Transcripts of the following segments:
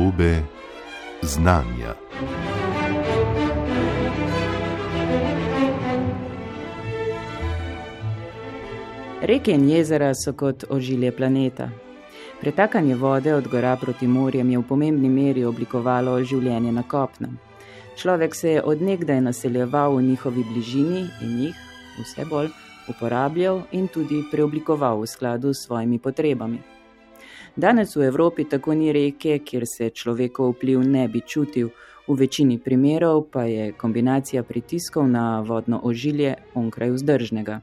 podobe znanja. Reke in jezera so kot ožilje planeta. Pretakanje vode od gora proti morjem je v pomembni meri oblikovalo življenje na kopnem. Človek se je od nekdaj naseljeval v njihovi bližini in jih vse bolj uporabljal in tudi preoblikoval v skladu s svojimi potrebami. Danes v Evropi tako ni reke, kjer se človekov vpliv ne bi čutil, v večini primerov pa je kombinacija pritiskov na vodno ožilje onkraj vzdržnega.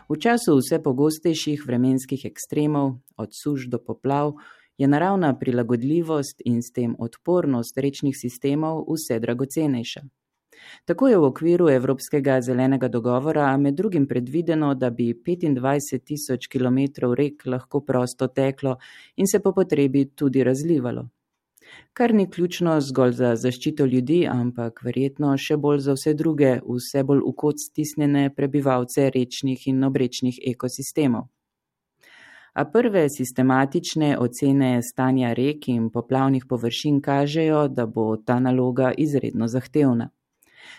V času vse pogostejših vremenskih ekstremov, od suš do poplav, je naravna prilagodljivost in s tem odpornost rečnih sistemov vse dragocenejša. Tako je v okviru Evropskega zelenega dogovora med drugim predvideno, da bi 25.000 kilometrov rek lahko prosto teklo in se po potrebi tudi razlivalo. Kar ni ključno zgolj za zaščito ljudi, ampak verjetno še bolj za vse druge, vse bolj v kot stisnjene prebivalce rečnih in obrečnih ekosistemov. A prve sistematične ocene stanja rek in poplavnih površin kažejo, da bo ta naloga izredno zahtevna.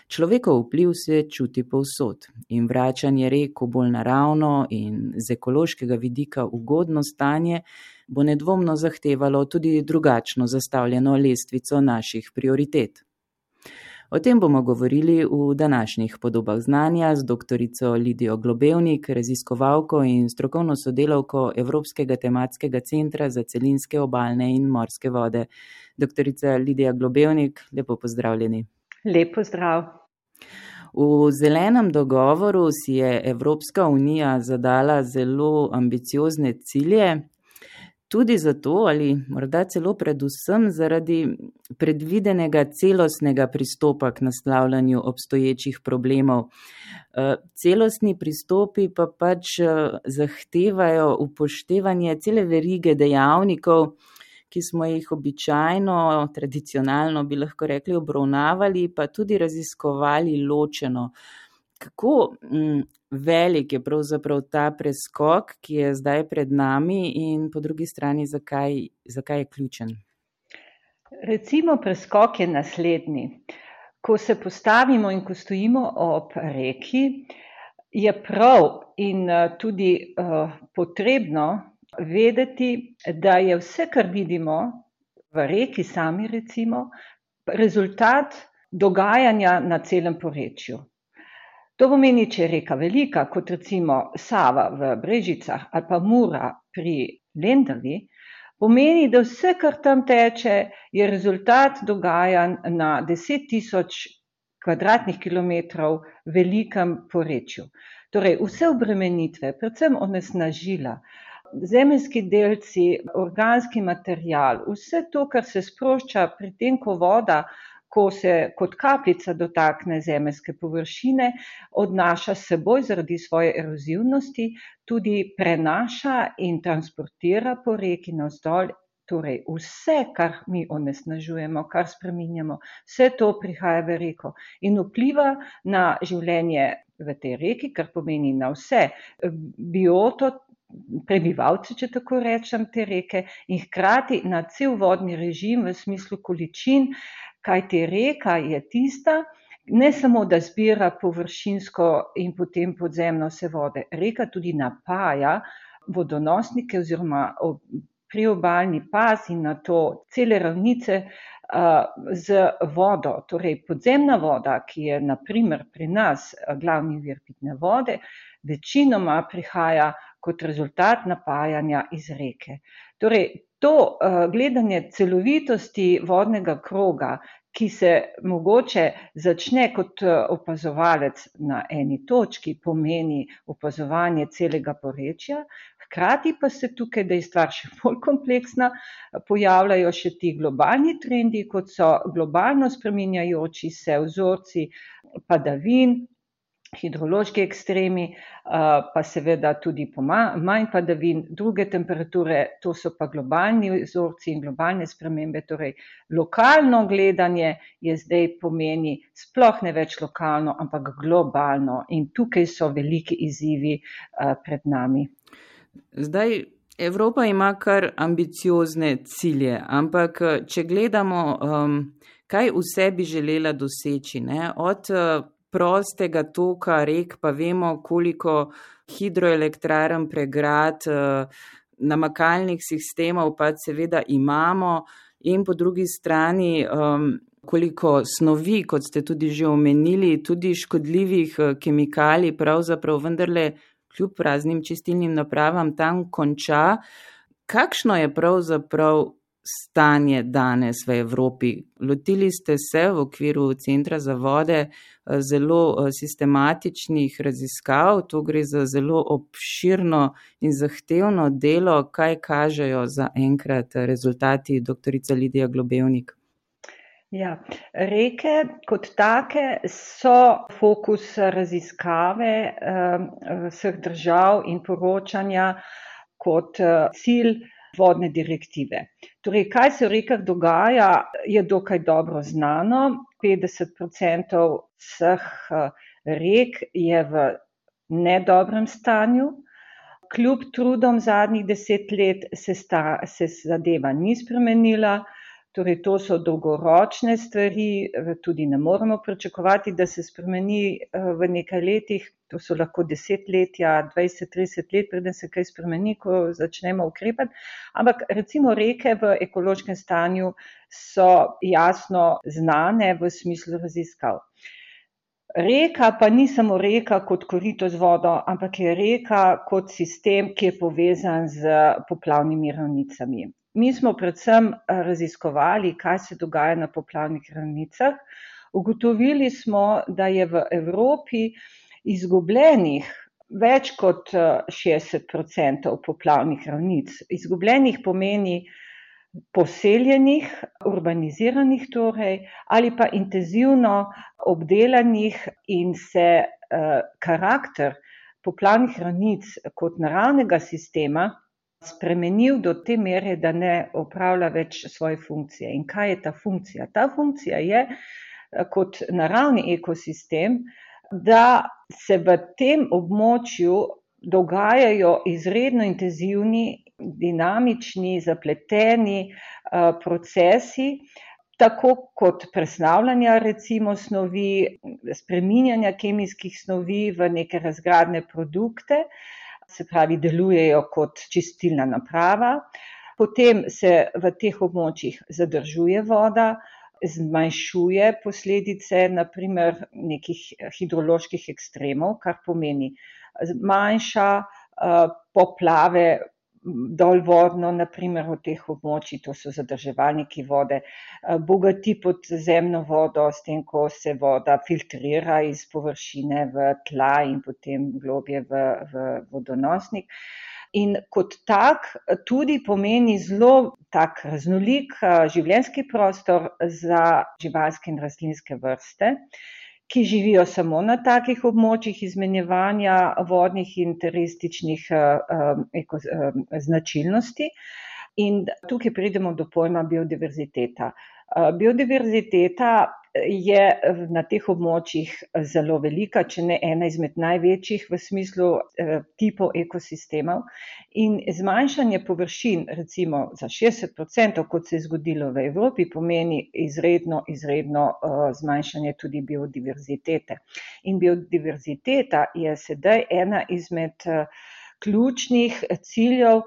Človekov vpliv se čuti povsod in vračanje rek v bolj naravno in z ekološkega vidika ugodno stanje bo nedvomno zahtevalo tudi drugačno zastavljeno lestvico naših prioritet. O tem bomo govorili v današnjih podobah znanja z doktorico Lidijo Globevnik, raziskovalko in strokovno sodelavko Evropskega tematskega centra za celinske obalne in morske vode. Doktorica Lidija Globevnik, lepo pozdravljeni. Lep pozdrav. V zelenem dogovoru si je Evropska unija zadala zelo ambiciozne cilje, tudi zato ali morda celo predvsem zaradi predvidenega celostnega pristopa k naslavljanju obstoječih problemov. Celostni pristopi pa pač zahtevajo upoštevanje cele verige dejavnikov, ki smo jih običajno, tradicionalno bi lahko rekli, obravnavali, pa tudi raziskovali ločeno. Kako velik je pravzaprav ta preskok, ki je zdaj pred nami in po drugi strani, zakaj je ključen? Recimo, preskok je naslednji. Ko se postavimo in ko stojimo ob reki, je prav in tudi potrebno vedeti, da je vse, kar vidimo v reki sami recimo, rezultat dogajanja na celem porečju. To pomeni, če je reka velika, kot recimo Sava v Brežicah ali pa Mura pri Lendavi, pomeni, da vse, kar tam teče, je rezultat dogajanj na 10.000 kvadratnih kilometrov velikem porečju. Torej, vse obremenitve, predvsem onesnažila, zemeljski delci, organski material, vse to, kar se sprošča pri tem, ko voda, ko se kot kapljica dotakne zemeljske površine, odnaša s seboj zaradi svoje erozivnosti, tudi prenaša in transportira po reki navzdol. Torej, vse, kar mi onesnažujemo, kar spreminjamo, vse to prihaja v reko in vpliva na življenje v tej reki, kar pomeni na vse bioto, prebivalce, če tako rečem, te reke in hkrati na cel vodni režim v smislu količin, kajti reka je tista, ne samo, da zbira površinsko in potem podzemno vse vode, reka tudi napaja vodonosnike oziroma priobalni pas in na to cele ravnice z vodo. Torej, podzemna voda, ki je na primer pri nas glavni vir pitne vode, večinoma prihaja kot rezultat napajanja iz reke. Torej, to gledanje celovitosti vodnega kroga, ki se mogoče začne kot opazovalec na eni točki, pomeni opazovanje celega porečja, hkrati pa se tukaj, da je stvar še bolj kompleksna, pojavljajo še ti globalni trendi, kot so globalno spreminjajoči se vzorci padavin, hidrološki ekstremi, pa seveda tudi manj padavin, druge temperature, to so pa globalni vzorci in globalne spremembe. Torej, lokalno gledanje je zdaj pomeni sploh ne več lokalno, ampak globalno in tukaj so veliki izzivi pred nami. Zdaj, Evropa ima kar ambiciozne cilje, ampak če gledamo, kaj vse bi želela doseči, ne? Od prostega toka rek pa vemo, koliko hidroelektrarn, pregrad, namakalnih sistemov pa seveda imamo in po drugi strani koliko snovi, kot ste tudi že omenili, tudi škodljivih kemikalij pravzaprav vendarle kljub raznim čistilnim napravam tam konča. Kakšno je pravzaprav stanje danes v Evropi? Lotili ste se v okviru Centra za vode zelo sistematičnih raziskav, to gre za zelo obširno in zahtevno delo. Kaj kažejo za enkrat rezultati, doktorica Lidija Globevnik? Ja, reke kot take so fokus raziskave vseh držav in poročanja kot cilj vodne direktive. Torej, kaj se v rekah dogaja, je dokaj dobro znano. 50% vseh rek je v nedobrem stanju. Kljub trudom zadnjih 10 let se zadeva ni spremenila. Torej, to so dolgoročne stvari, tudi ne moremo pričakovati, da se spremeni v nekaj letih, to so lahko desetletja, 20-30 let, preden se kaj spremeni, ko začnemo ukrepati. Ampak recimo reke v ekološkem stanju so jasno znane v smislu raziskav. Reka pa ni samo reka kot korito z vodo, ampak je reka kot sistem, ki je povezan z poplavnimi ravnicami. Mi smo predvsem raziskovali, kaj se dogaja na poplavnih ravnicah. Ugotovili smo, da je v Evropi izgubljenih več kot 60% poplavnih ravnic. Izgubljenih pomeni poseljenih, urbaniziranih torej, ali pa intenzivno obdelanih in se karakter poplavnih ravnic kot naravnega sistema spremenil do te mere, da ne opravlja več svoje funkcije. In kaj je ta funkcija? Ta funkcija je kot naravni ekosistem, da se v tem območju dogajajo izredno intenzivni, dinamični, zapleteni procesi, tako kot presnavljanja recimo snovi, spreminjanja kemijskih snovi v neke razgradne produkte, se pravi, delujejo kot čistilna naprava, potem se v teh območjih zadržuje voda, zmanjšuje posledice, naprimer nekih hidroloških ekstremov, kar pomeni manjša poplave dolvodno, naprimer v teh območjih, to so zadrževalniki vode, bogati podzemno vodo, s tem, ko se voda filtrira iz površine v tla in potem globje v vodonosnik. In kot tak tudi pomeni zelo tak raznolik življenjski prostor za živalske in rastlinske vrste, ki živijo samo na takih območjih izmenjevanja vodnih in turističnih značilnosti. In tukaj pridemo do pojma biodiverziteta. Biodiverziteta je na teh območjih zelo velika, če ne ena izmed največjih v smislu tipov ekosistemov. In zmanjšanje površin, recimo za 60%, kot se je zgodilo v Evropi, pomeni izredno zmanjšanje tudi biodiverzitete. In biodiverziteta je sedaj ena izmed ključnih ciljev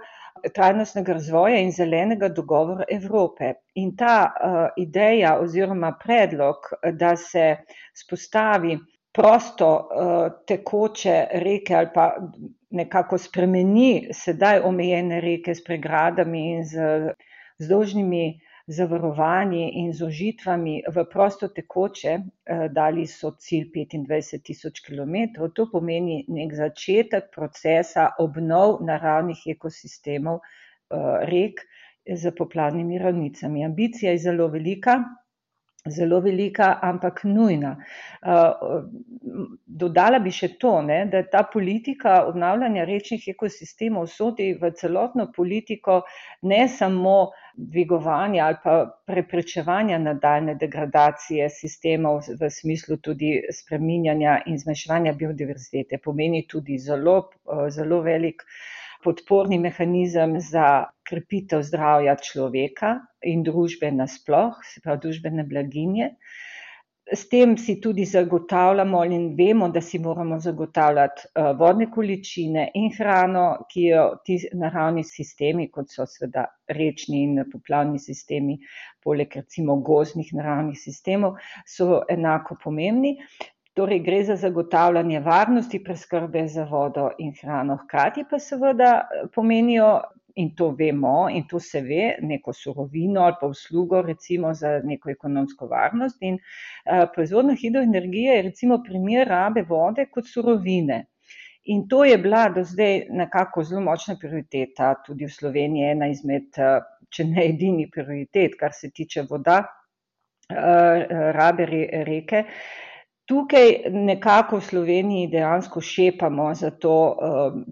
trajnostnega razvoja in zelenega dogovora Evrope. In ta ideja oziroma predlog, da se vzpostavi prosto tekoče reke ali pa nekako spremeni sedaj omejene reke s pregradami in z vzdolžnimi zavarovanji in zožitvami v prosto tekoče, dali so cilj 25.000 kilometrov, to pomeni nek začetek procesa obnov naravnih ekosistemov rek z poplavnimi ravnicami. Ambicija je zelo velika, ampak nujna. Dodala bi še to, da ta politika obnavljanja rečnih ekosistemov sodi v celotno politiko ne samo dvigovanja ali pa preprečevanja nadaljne degradacije sistemov v smislu tudi spreminjanja in zmanjševanja biodiverzitete. Pomeni tudi zelo velik podporni mehanizem za krepitev zdravja človeka in družbe nasploh, se pravi družbene blaginje. S tem si tudi zagotavljamo in vemo, da si moramo zagotavljati vodne količine in hrano, ki jo ti naravni sistemi, kot so seveda rečni in poplavni sistemi, poleg recimo gozdnih naravnih sistemov, so enako pomembni. Torej gre za zagotavljanje varnosti preskrbe za vodo in hrano. Hkrati pa seveda pomenijo, in to vemo, in to se ve, neko surovino ali pa uslugo recimo za neko ekonomsko varnost. In proizvodnja hidroenergije je recimo primer rabe vode kot surovine. In to je bila do zdaj nekako zelo močna prioriteta, tudi v Sloveniji ena izmed, če ne edini prioritet, kar se tiče voda, rabe reke. Tukaj nekako v Sloveniji dejansko šepamo za to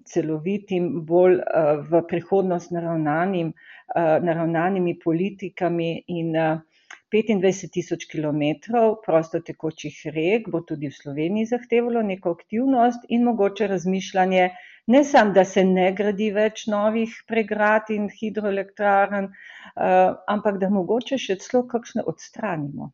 celovitim, bolj v prihodnost naravnanimi politikami in 25.000 kilometrov prostotekočih rek bo tudi v Sloveniji zahtevalo neko aktivnost in mogoče razmišljanje, ne samo, da se ne gradi več novih pregrad in hidroelektrarn, ampak da mogoče še celo kakšne odstranimo.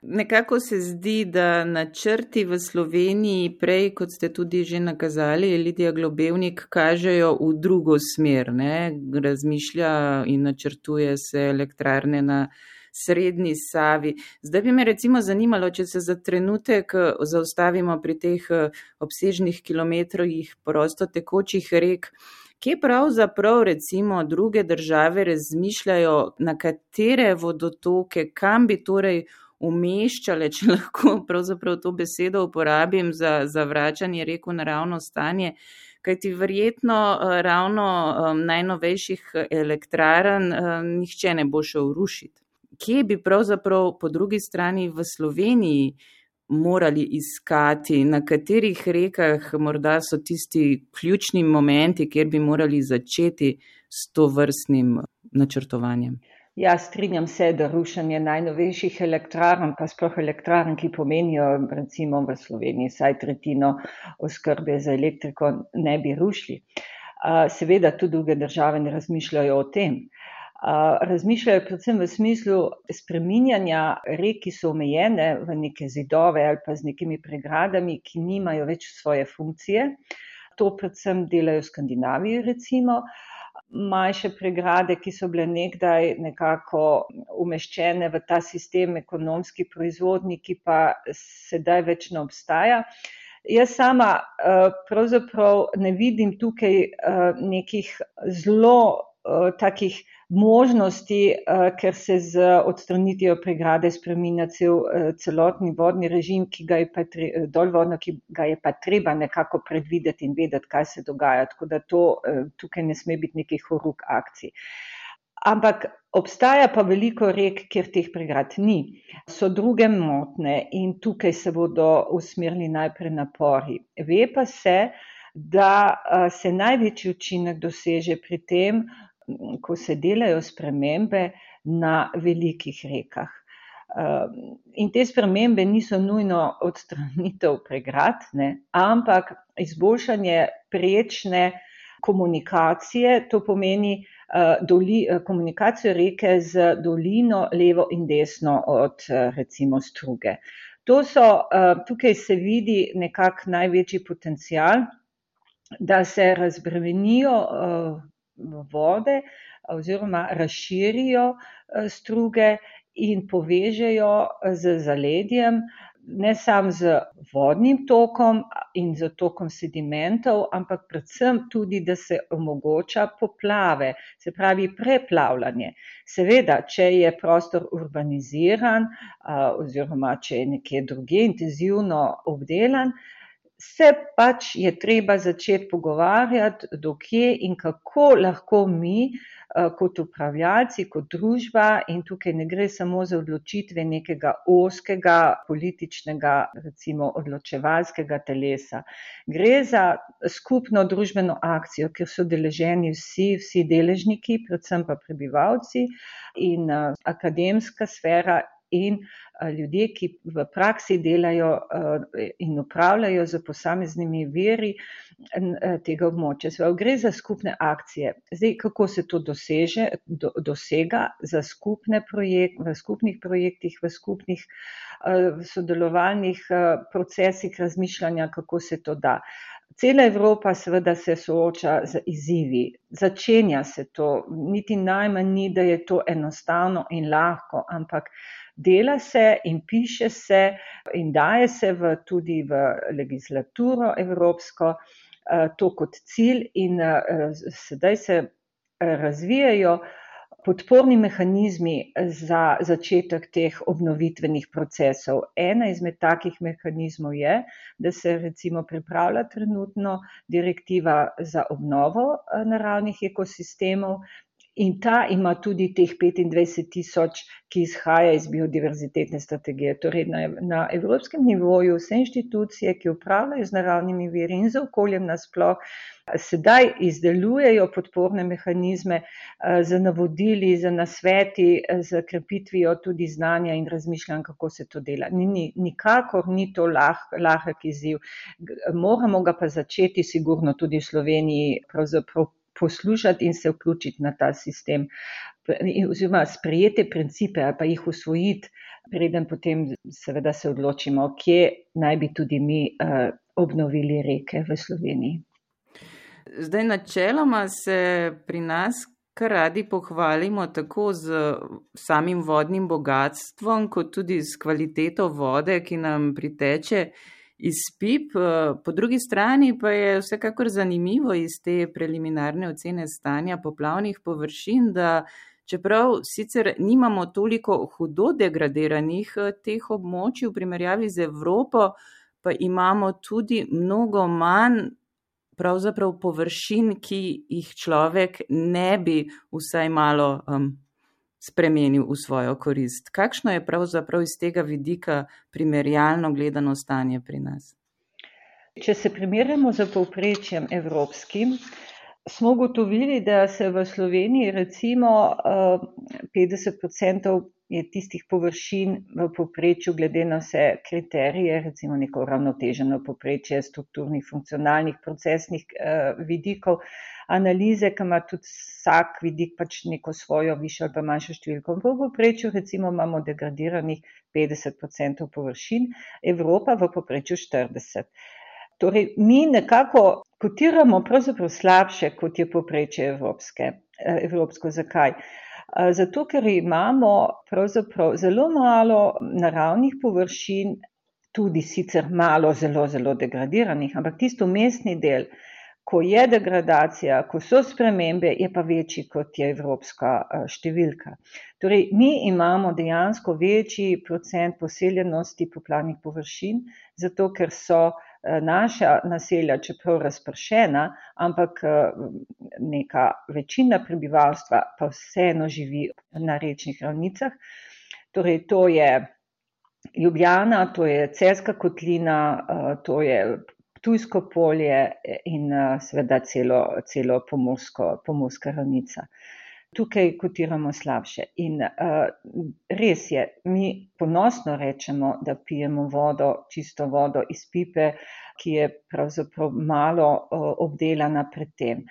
Nekako se zdi, da načrti v Sloveniji prej, kot ste tudi že nakazali, Lidija Globevnik, kažejo v drugo smer, ne? Razmišlja in načrtuje se elektrarne na srednji Savi. Zdaj bi me recimo zanimalo, če se za trenutek zaustavimo pri teh obsežnih kilometrih prostotekočih rek, kje pravzaprav recimo druge države razmišljajo, na katere vodotoke, kam bi torej umeščale, če lahko pravzaprav to besedo uporabim za vračanje rek v naravno stanje, kajti verjetno ravno najnovejših elektrarn nihče ne bo šel rušiti. Kje bi pravzaprav po drugi strani v Sloveniji morali iskati, na katerih rekah morda so tisti ključni momenti, kjer bi morali začeti s tovrstnim načrtovanjem? Ja, strinjam se, da rušenje najnovejših elektrarn, pa sploh elektrarn, ki pomenijo recimo v Sloveniji vsaj tretjino oskrbe za elektriko, ne bi rušili. Seveda tudi druge države ne razmišljajo o tem. Razmišljajo predvsem v smislu spreminjanja rek, ki so omejene v neke zidove ali pa z nekimi pregradami, ki nimajo več svoje funkcije. To predvsem delajo v Skandinaviji recimo. Manjše pregrade, ki so bile nekdaj nekako umeščene v ta sistem ekonomski proizvodni, ki pa sedaj več ne obstaja. Jaz sama pravzaprav ne vidim tukaj nekih zelo takih možnosti, ker se z odstranitvijo pregrade spreminja celotni vodni režim, ki ga je pa treba nekako predvideti in vedeti, kaj se dogaja. Tako da tukaj ne sme biti nekih horuk akcij. Ampak obstaja pa veliko rek, kjer teh pregrad ni. So druge motnje in tukaj se bodo usmerili najprej napori. Ve pa se, da se največji učinek doseže pri tem, ko se delajo spremembe na velikih rekah. In te spremembe niso nujno odstranitev pregrad, ne, ampak izboljšanje prečne komunikacije, to pomeni komunikacijo reke z dolino levo in desno od recimo struge. Tukaj se vidi nekako največji potencial, da se razbremenijo vode oziroma razširijo struge in povežejo z zaledjem, ne samo z vodnim tokom in z tokom sedimentov, ampak predvsem tudi, da se omogoča poplave, se pravi preplavljanje. Seveda, če je prostor urbaniziran oziroma če je nekje drugje intenzivno obdelan, se pač je treba začeti pogovarjati, do kje in kako lahko mi kot upravljalci, kot družba, in tukaj ne gre samo za odločitve nekega ozkega političnega, recimo odločevalskega telesa. Gre za skupno družbeno akcijo, kjer so deleženi vsi deležniki, predvsem pa prebivalci in akademska sfera in ljudje, ki v praksi delajo in upravljajo z posameznimi viri tega območja. Se pravi, gre za skupne akcije. Zdaj, kako se to dosega za v skupnih projektih, v skupnih sodelovalnih procesih razmišljanja, kako se to da. Cela Evropa seveda se sooča z izzivi. Začenja se to, niti najmanj ni, da je to enostavno in lahko, ampak dela se in piše se in daje se tudi v legislaturo evropsko to kot cilj in sedaj se razvijajo podporni mehanizmi za začetek teh obnovitvenih procesov. Ena izmed takih mehanizmov je, da se recimo pripravlja trenutno direktiva za obnovo naravnih ekosistemov in ta ima tudi teh 25,000, ki izhaja iz biodiverzitetne strategije. Torej na evropskem nivoju vse inštitucije, ki upravljajo z naravnimi viri in z okoljem nasploh, sedaj izdelujejo podporne mehanizme z navodili, z nasveti, z krepitvijo tudi znanja in razmišljanj, kako se to dela. Nikakor ni to lahek izziv. Moramo ga pa začeti sigurno tudi v Sloveniji pravzaprav poslušati in se vključiti na ta sistem, oziroma sprejete principe ali pa jih usvojiti, preden potem seveda se odločimo, kje naj bi tudi mi obnovili reke v Sloveniji. Zdaj, načeloma se pri nas kar radi pohvalimo tako z samim vodnim bogatstvom, kot tudi s kvaliteto vode, ki nam priteče iz pip. Po drugi strani pa je vsekakor zanimivo iz te preliminarne ocene stanja poplavnih površin, da čeprav sicer nimamo toliko hudo degradiranih teh območij v primerjavi z Evropo, pa imamo tudi mnogo manj pravzaprav površin, ki jih človek ne bi vsaj malo spremenil v svojo korist. Kakšno je pravzaprav iz tega vidika primerjalno gledano stanje pri nas? Če se primerjamo z povprečjem evropskim, smo ugotovili, da se v Sloveniji recimo 50% je tistih površin v povprečju glede na vse kriterije, recimo neko uravnoteženo povprečje strukturnih, funkcionalnih, procesnih vidikov, analize, ki ima tudi vsak vidik pač neko svojo višjo ali pa manjšo številko. V povprečju recimo imamo degradiranih 50% površin, Evropa v povprečju 40%. Torej, mi nekako kotiramo pravzaprav slabše, kot je povprečje evropsko. Zakaj? Zato, ker imamo pravzaprav zelo malo naravnih površin, tudi sicer malo zelo degradiranih, ampak tisto mestni del, ko je degradacija, ko so spremembe, je pa večji, kot je evropska številka. Torej, mi imamo dejansko večji procent poseljenosti poplavnih površin, zato ker so naša naselja, čeprav razpršena, ampak neka večina prebivalstva pa vseeno živi na rečnih ravnicah. Torej, to je Ljubljana, to je Celjska kotlina, to je Ptujsko polje in seveda celo Pomurska ravnica. Tukaj kotiramo slabše. In res je, mi ponosno rečemo, da pijemo vodo, čisto vodo iz pipe, ki je pravzaprav malo obdelana pred tem.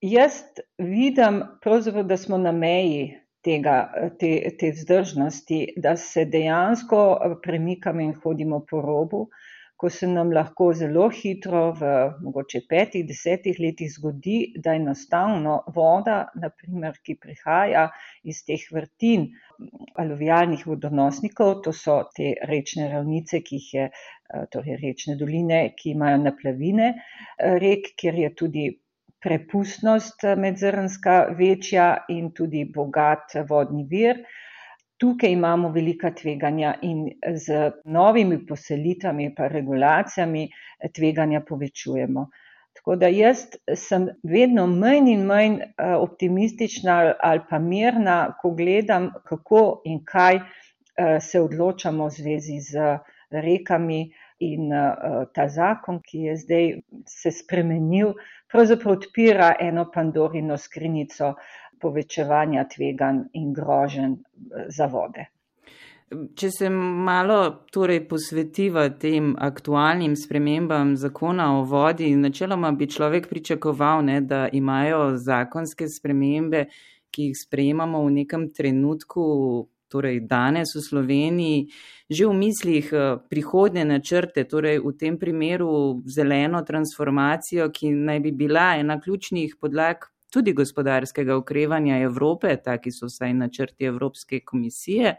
Jaz vidim pravzaprav, da smo na meji te vzdržnosti, da se dejansko premikamo in hodimo po robu, ko se nam lahko zelo hitro v mogoče 5-10 letih zgodi, da enostavno voda, naprimer, ki prihaja iz teh vrtin aluvialnih vodonosnikov, to so te rečne ravnice, ki jih je, torej rečne doline, ki imajo naplavine rek, kjer je tudi prepustnost medzrnska večja in tudi bogat vodni vir. Tukaj imamo velika tveganja in z novimi poselitvami pa regulacijami tveganja povečujemo. Tako da jaz sem vedno manj in manj optimistična ali pa mirna, ko gledam, kako in kaj se odločamo v zvezi z rekami in ta zakon, ki je zdaj se spremenil, pravzaprav odpira eno Pandorino skrinjico povečevanja tveganj in groženj za vode. Če se malo posvetiva tem aktualnim spremembam zakona o vodi, načeloma bi človek pričakoval, da imajo zakonske spremembe, ki jih sprejemamo v nekem trenutku, torej danes v Sloveniji, že v mislih prihodnje načrte, torej v tem primeru zeleno transformacijo, ki naj bi bila ena ključnih podlag tudi gospodarskega okrevanja Evrope, taki so vsaj načrti Evropske komisije.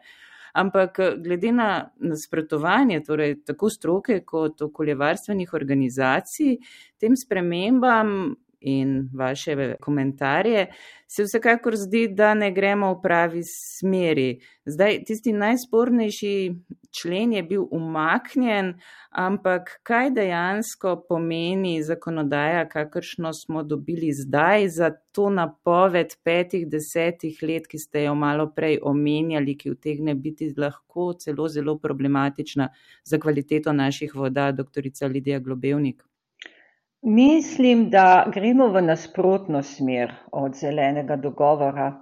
Ampak glede na nasprotovanje, torej tako stroke kot okoljevarstvenih organizacij, tem spremembam in vaše komentarje, se vsekakor zdi, da ne gremo v pravi smeri. Zdaj, tisti najspornejši člen je bil umaknjen, ampak kaj dejansko pomeni zakonodaja, kakršno smo dobili zdaj za to napoved 5-10 let, ki ste jo malo prej omenjali, ki utegne biti lahko celo zelo problematična za kvaliteto naših voda, doktorica Lidija Globevnik? Mislim, da gremo v nasprotno smer od zelenega dogovora.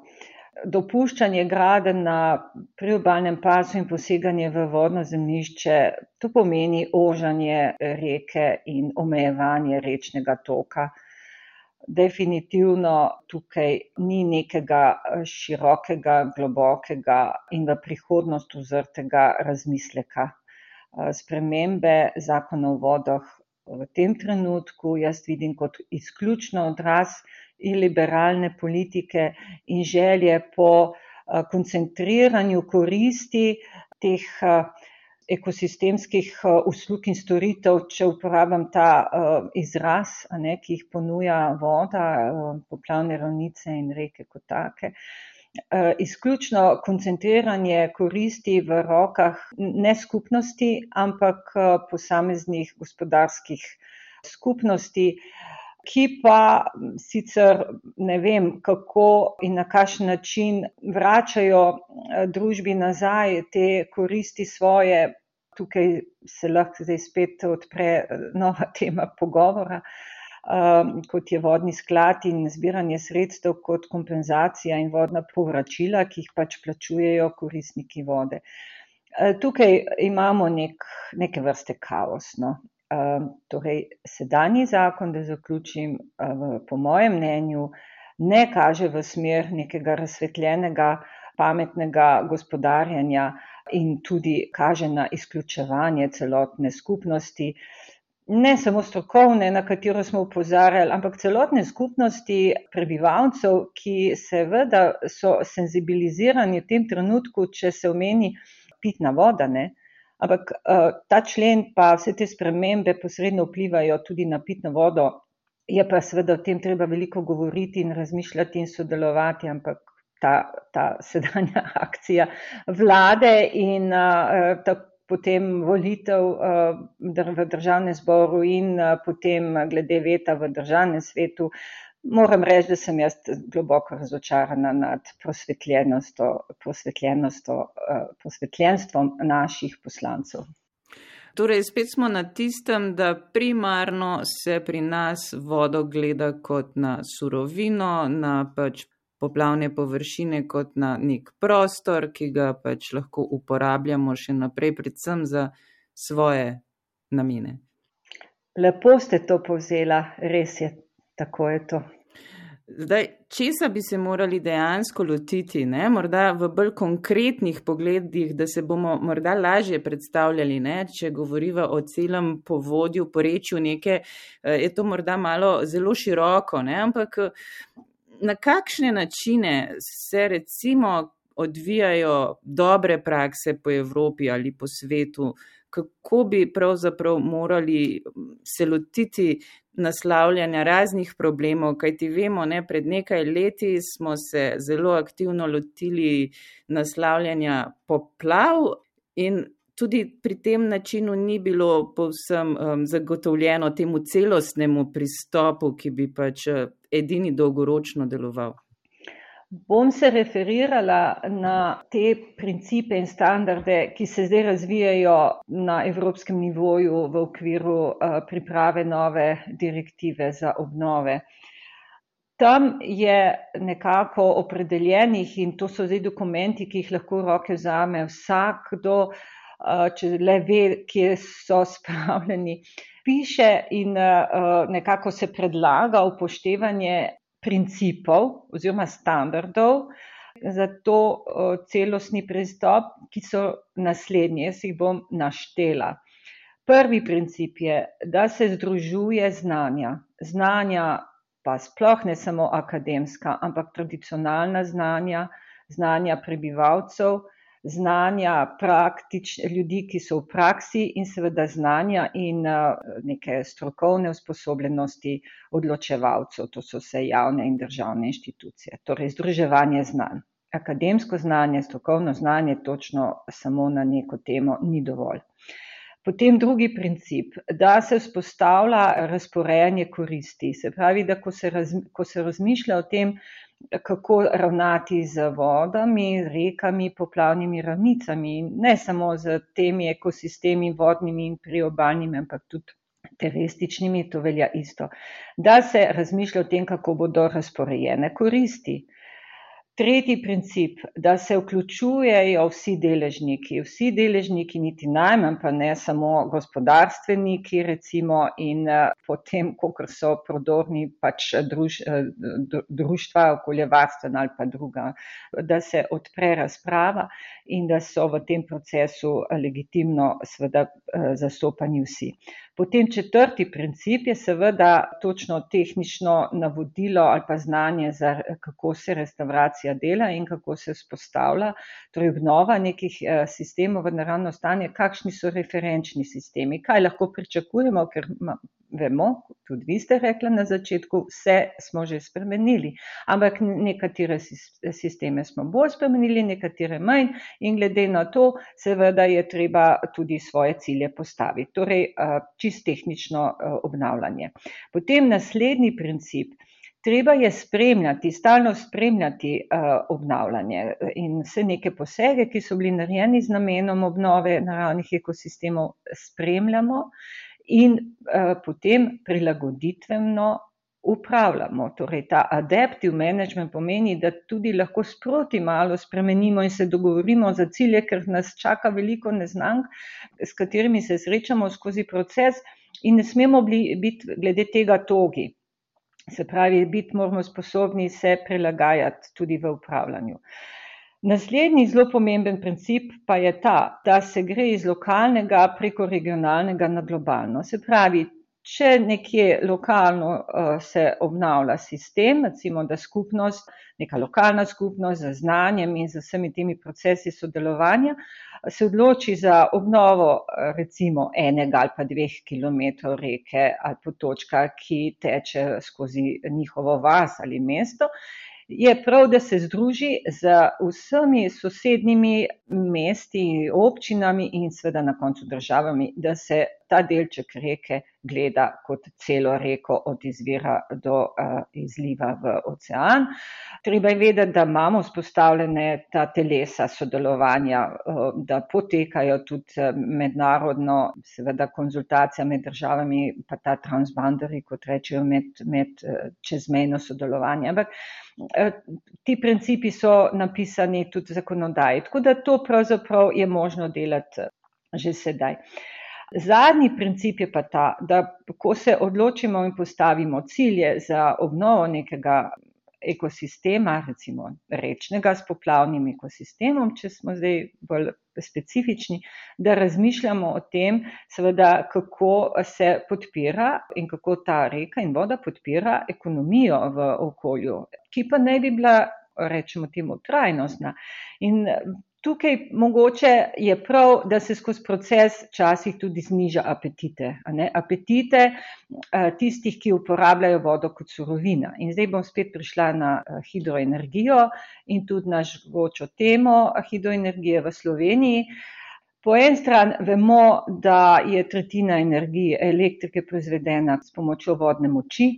Dopuščanje gradenj na priobalnem pasu in poseganje v vodno zemljišče, to pomeni ožanje reke in omejevanje rečnega toka. Definitivno tukaj ni nekega širokega, globokega in v prihodnost uzrtega razmisleka. Spremembe zakona o vodah v tem trenutku jaz vidim kot izključno odraz iliberalne politike in želje po koncentriranju koristi teh ekosistemskih uslug in storitev, če uporabljam ta izraz, ki jih ponuja voda, poplavne ravnice in reke kot take. Izključno koncentriranje koristi v rokah ne skupnosti, ampak posameznih gospodarskih skupnosti, ki pa sicer ne vem, kako in na kakšen način vračajo družbi nazaj te koristi svoje. Tukaj se lahko zdaj spet odpre nova tema pogovora, kot je vodni sklad in zbiranje sredstev kot kompenzacija in vodna povračila, ki jih pač plačujejo koristniki vode. Tukaj imamo neke vrste kaos. Torej, sedanji zakon, da zaključim, po mojem mnenju, ne kaže v smer nekega razsvetljenega, pametnega gospodarjenja in tudi kaže na izključevanje celotne skupnosti, ne samo strokovne, na katero smo opozarjali, ampak celotne skupnosti prebivalcev, ki seveda so senzibilizirani v tem trenutku, če se omeni pitna voda, ampak ta člen pa vse te spremembe posredno vplivajo tudi na pitno vodo. Je pa seveda o tem treba veliko govoriti in razmišljati in sodelovati, ampak ta sedanja akcija vlade in potem volitev v državnem zboru in potem glede veta v državnem svetu, moram reči, da sem jaz globoko razočarana nad prosvetljenstvom naših poslancev. Torej, spet smo na tistem, da primarno se pri nas vodo gleda kot na surovino, na poplavne površine kot na nek prostor, ki ga lahko uporabljamo še naprej, predvsem za svoje namene. Lepo ste to povzela, res je, tako je to. Zdaj, česa bi se morali dejansko lotiti, morda v bolj konkretnih pogledih, da se bomo morda lažje predstavljali, če govoriva o celem povodju, porečju neke, je to morda malo zelo široko, ampak na kakšne načine se recimo odvijajo dobre prakse po Evropi ali po svetu, kako bi pravzaprav morali se lotiti naslavljanja raznih problemov, kajti vemo, pred nekaj leti smo se zelo aktivno lotili naslavljanja poplav in tudi pri tem načinu ni bilo povsem zagotovljeno temu celostnemu pristopu, ki bi edini dolgoročno deloval. Bom se referirala na te principe in standarde, ki se zdaj razvijajo na evropskem nivoju v okviru priprave nove direktive za obnove. Tam je nekako opredeljenih in to so zdaj dokumenti, ki jih lahko v roke vzame vsakdo, če le ve, kje so spravljeni. Piše in nekako se predlaga upoštevanje principov oziroma standardov za to celostni pristop, ki so naslednji. Jaz jih bom naštela. Prvi princip je, da se združuje znanja. Znanja pa sploh ne samo akademska, ampak tradicionalna znanja, znanja prebivalcev, znanja ljudi, ki so v praksi in seveda znanja in neke strokovne usposobljenosti odločevalcev, to so vse javne in državne inštitucije. Torej, združevanje znanj. Akademsko znanje, strokovno znanje točno samo na neko temo ni dovolj. Potem drugi princip, da se vzpostavlja razporejanje koristi. Se pravi, da ko se razmišlja o tem, kako ravnati z vodami, rekami, poplavnimi ravnicami, ne samo z temi ekosistemi vodnimi in priobalnimi, ampak tudi terestičnimi, to velja isto. Da se razmišlja o tem, kako bodo razporejene koristi. Tretji princip, da se vključujejo vsi deležniki, niti najmanj pa ne samo gospodarstveniki recimo in potem, kakor so prodorni pač društva, okoljevarstvena ali pa druga, da se odpre razprava in da so v tem procesu legitimno seveda zastopani vsi. Potem četrti princip je seveda točno tehnično navodilo ali pa znanje, kako se restavracija dela in kako se vzpostavlja, torej obnova nekih sistemov v naravno stanje, kakšni so referenčni sistemi, kaj lahko pričakujemo, ker vemo, tudi vi ste rekli na začetku, vse smo že spremenili, ampak nekatere sisteme smo bolj spremenili, nekatere manj in glede na to seveda je treba tudi svoje cilje postaviti, torej čisto tehnično obnavljanje. Potem naslednji princip, treba je stalno spremljati obnavljanje in vse neke posege, ki so bili narejeni z namenom obnove naravnih ekosistemov, spremljamo in potem prilagoditveno upravljamo. Torej ta adaptive management pomeni, da tudi lahko sproti malo spremenimo in se dogovorimo za cilje, ker nas čaka veliko neznank, s katerimi se srečamo skozi proces in ne smemo biti glede tega togi. Se pravi, biti moramo sposobni se prilagajati tudi v upravljanju. Naslednji zelo pomemben princip pa je ta, da se gre iz lokalnega preko regionalnega na globalno. Se pravi, če nekje lokalno se obnavlja sistem, recimo da neka lokalna skupnost z znanjem in z vsemi temi procesi sodelovanja, se odloči za obnovo recimo 1 ali pa 2 kilometrov reke ali potočka, ki teče skozi njihovo vas ali mesto, je prav, da se združi z vsemi sosednjimi mesti, občinami in seveda na koncu državami, da se ta delček reke gleda kot celo reko od izvira do izliva v ocean. Treba je vedeti, da imamo vzpostavljene ta telesa sodelovanja, da potekajo tudi mednarodno, seveda konzultacija med državami, pa ta transboundary, kot rečejo, med čezmejno sodelovanje. Ampak ti principi so napisani tudi v zakonodaji, tako da to pravzaprav je možno delati že sedaj. Zadnji princip je pa ta, da ko se odločimo in postavimo cilje za obnovo nekega ekosistema, recimo rečnega s poplavnim ekosistemom, če smo zdaj bolj specifični, da razmišljamo o tem, seveda, kako se podpira in kako ta reka in voda podpira ekonomijo v okolju, ki pa naj bi bila, rečemo temu, trajnostna. In tukaj mogoče je prav, da se skozi proces včasih tudi zniža apetite. Apetite tistih, ki uporabljajo vodo kot surovina. In zdaj bom spet prišla na hidroenergijo in tudi na žgočo temo hidroenergije v Sloveniji. Po eni strani vemo, da je tretjina energije elektrike proizvedena s pomočjo vodne moči,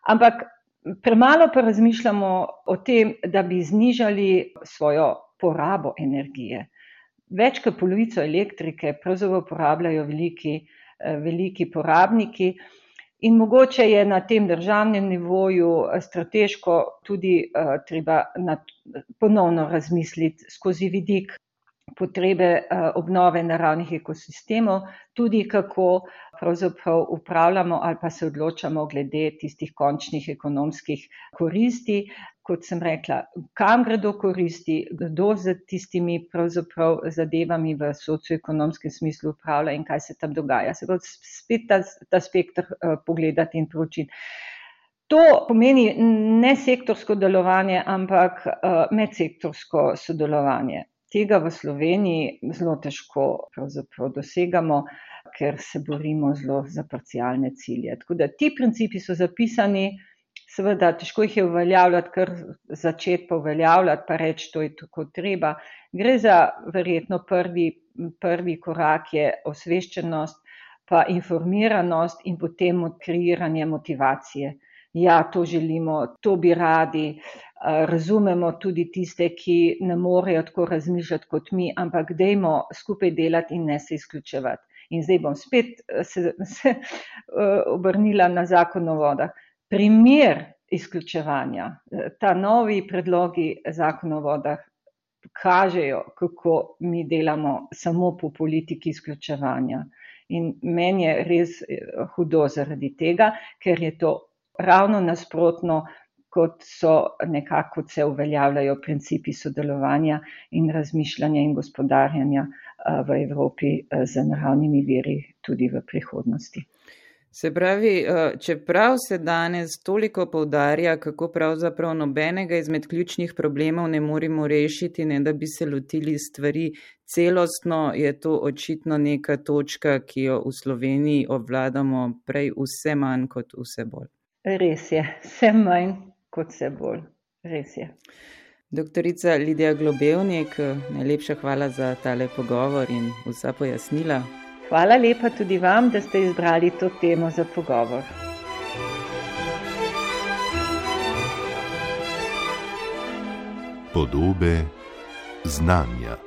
ampak premalo pa razmišljamo o tem, da bi znižali svojo porabo energije. Več kot polovico elektrike pravzaprav uporabljajo veliki porabniki In mogoče je na tem državnem nivoju strateško tudi treba ponovno razmisliti skozi vidik potrebe obnove naravnih ekosistemov, tudi kako pravzaprav upravljamo ali pa se odločamo glede tistih končnih ekonomskih koristi. Kot sem rekla, kam gredo koristi, kdo z tistimi pravzaprav zadevami v socioekonomskem smislu upravlja in kaj se tam dogaja. Se bo spet ta spektr pogledati in proučiti. To pomeni ne sektorsko delovanje, ampak medsektorsko sodelovanje. Tega v Sloveniji zelo težko pravzaprav dosegamo, ker se borimo zelo za parcialne cilje. Tako da ti principi so zapisani, seveda težko jih je uveljavljati, kar začeti pa uveljavljati, pa reči, to je tako treba. Gre za verjetno prvi korak je osveščenost, pa informiranost in potem kreiranje motivacije. Ja, to želimo, to bi radi, razumemo tudi tiste, ki ne morejo tako razmišljati kot mi, ampak dajmo skupaj delati in ne se izključevati. In zdaj bom spet se obrnila na Zakon o vodah. Primer izključevanja, ta novi predlogi Zakona o vodah kažejo, kako mi delamo samo po politiki izključevanja. In meni je res hudo zaradi tega, ker je to ravno nasprotno, kot so nekako se uveljavljajo principi sodelovanja in razmišljanja in gospodarjanja v Evropi z naravnimi viri tudi v prihodnosti. Se pravi, čeprav se danes toliko poudarja, kako pravzaprav nobenega izmed ključnih problemov ne moremo rešiti, ne da bi se lotili stvari celostno, je to očitno neka točka, ki jo v Sloveniji obvladamo prej vse manj kot vse bolj. Res je, vse manj kot vse bolj. Res je. Doktorica Lidija Globevnik, najlepša hvala za tale pogovor in vsa pojasnila. Hvala lepa tudi vam, da ste izbrali to temo za pogovor. Podobe znanja.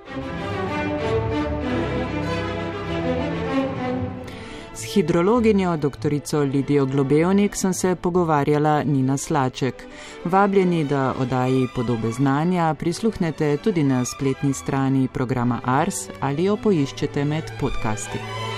S hidrologinjo doktorico Lidijo Globevnik sem se pogovarjala Nina Slaček. Vabljeni, da oddaji Podobe znanja prisluhnete tudi na spletni strani programa Ars ali jo poiščete med podcasti.